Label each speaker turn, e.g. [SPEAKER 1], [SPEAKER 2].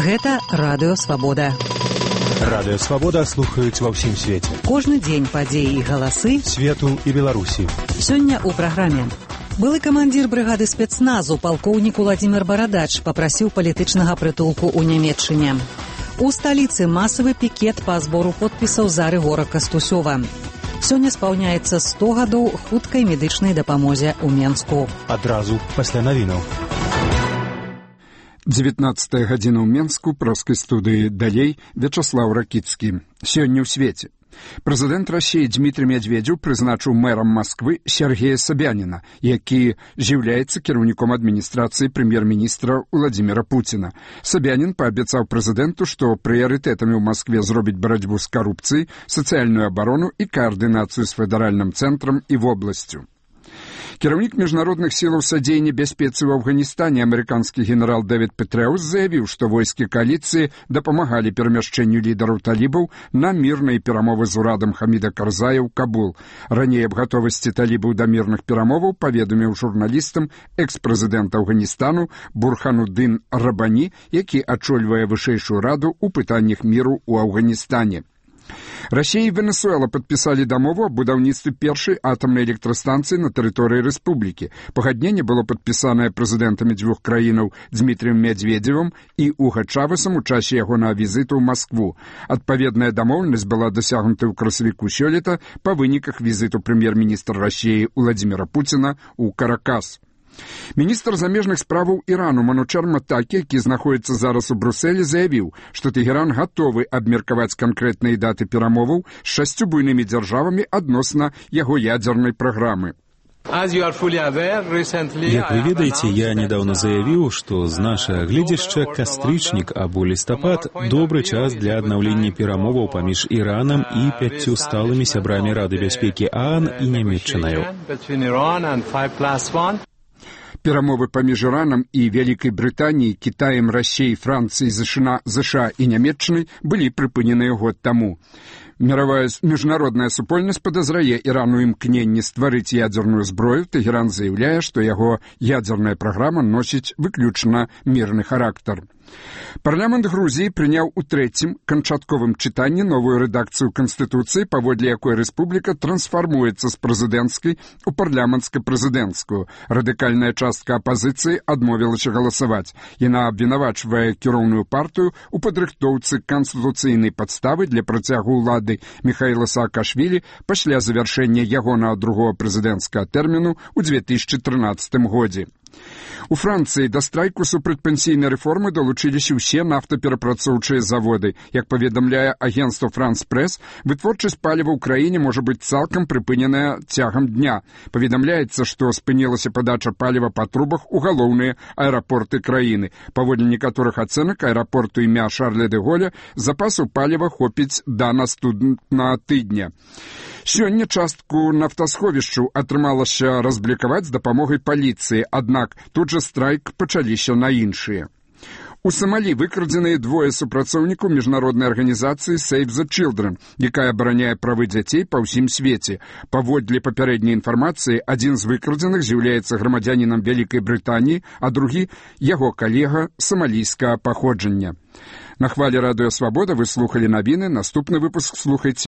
[SPEAKER 1] Гэта Радыё Свабода.
[SPEAKER 2] Радыё Свабода слухаюць ва ўсім свеце.
[SPEAKER 1] Кожны дзень падзеі і галасы
[SPEAKER 2] свету і Беларусі.
[SPEAKER 1] Сёння ў праграме. Былы камандзір брыгады спецназу палкоўнік Уладзімир Барадач папрасіў палітычнага прытулку ў Нямецчыне. У сталіцы масавы пікет па збору подпісаў за Рыгора Кастусёва. Сёння спаўняецца 100 гадоў хуткай медычнай дапамозе ў Менску.
[SPEAKER 2] Адразу пасля навінаў.
[SPEAKER 3] 19 гадзіна ў Менску, праскай студыі «Далей» Вячаслаў Ракіцкі. Сёння ў свеце. Прэзідэнт Расіі Дмітрий Медведзеў прызначыў мэрам Масквы Сергея Собяніна, які з'яўляецца кіраўніком адміністрацыі прэм'ер-міністра Владзіміра Пуціна. Собянін паабяцаў прэзідэнту, што прыярытэтамі ў Маскве зробіць барацьбу з карупцыяй, сацыяльную абарону і каардынацыю з федэральным цэнтрам і вобласцю. Кіраўнік міжнародных сілаў садзеяння бяспецы ў Афганістане амерыканскі генерал Дэвід Петрэус заявіў, што войскі кааліцыі дапамагалі перамяшчэнню лідараў талібаў на мірныя перамовы з урадам Хаміда Карзая ў Кабул. Раней аб гатовасці талібаў да мірных перамоваў паведаміў журналістам экс-прэзідэнт Афганістану Бурхануддин Рабані, які ачольвае вышэйшую раду ў пытаннях міру ў Афганістане. Расія і Венесуэла падпісалі дамову аб будаўніцтве першай атамнай электрастанцыі на тэрыторыі рэспублікі. Пагадненне было падпісанае прэзідэнтамі дзвюх краінаў Дмітрыем Медведзевым і Уга Чавесам у часе ягонага візіту ў Маскву. Адпаведная дамоўленасць была дасягнута ў красавіку сёлета па выніках візіту прэм'ер-міністра Расіі Владзіміра Пуціна ў Каракас. Міністр замежных справаў Ірану Манучар Матакі, які знаходіцца зараз у Брусэлі, заявіў, што Тэгеран гатовы абмеркаваць канкрэтныя даты перамоваў з 6 буйнымі дзяржавамі адносна яго ядзернай праграмы.
[SPEAKER 4] Як вы ведаеце, я недавно заявіў, што з нашага гледзяшча кастрычнік або лістапад добры час для аднаўлення перамоваў паміж Іранам і 5 сталымі сябрамі Рады бяспекі ААН і Нямецчынаю.
[SPEAKER 3] Перамовы паміж Іранам і Вялікай Брытаніяй, Кітаем, Расіяй, Францыяй, ЗША і Нямецчынай былі прыпыненыя год таму. Міжнародная супольнасць падазрае Ірану імкненне стварыць ядзерную зброю. Тэгеран заяўляе, што яго ядзерная праграма носіць выключна мірны характар. Парламент Грузіі прыняў у трэцім канчатковым чытанні новую рэдакцыю Канстытуцыі, паводле якой рэспубліка трансфармуецца з прэзідэнцкай у парламенцка-прэзідэнцкую. Радыкальная частка апазіцыі адмовілася галасаваць. Яна абвінавачвае кіроўную партыю ў падрыхтоўцы канстытуцыйнай падставы для працягу ўлады Міхаіла Саакашвілі пасля завяршэння ягонага другого прэзідэнцкага тэрміну ў 2013 годзе. У Францыі да страйку супрацьпенсійнай рэформы далучыліся ўсе нафтаперапрацоўчыя заводы. Як паведамляе агенцтва «Франс-Прэс», вытворчасць паліва ў краіне можа быць цалкам прыпыненая цягам дня. Паведамляецца, што спынілася падача паліва па трубах у галоўныя аэрапорты краіны. Паводле некаторых ацэнак аэрапорту імя Шарля де Голля запасу паліва хопіць да наступнага тыдня. Сёння частку нафтасховішчаў атрымалася разблікаваць з дапамогай паліцыі, аднак тут жа страйк пачаліся на іншыя. У Самалі выкрадзеныя 2 супрацоўнікаў міжнароднай арганізацыі Save the Children, якая абараняе правы дзяцей па ўсім свеце. Паводле папярэдняй інфармацыі, адзін з выкрадзеных з'яўляецца грамадзянінам Вялікай Брытаніі, а другі – яго калега самалійскага паходжання. На хвалі Радыё Свабода вы слухалі навіны, наступны выпуск слухайце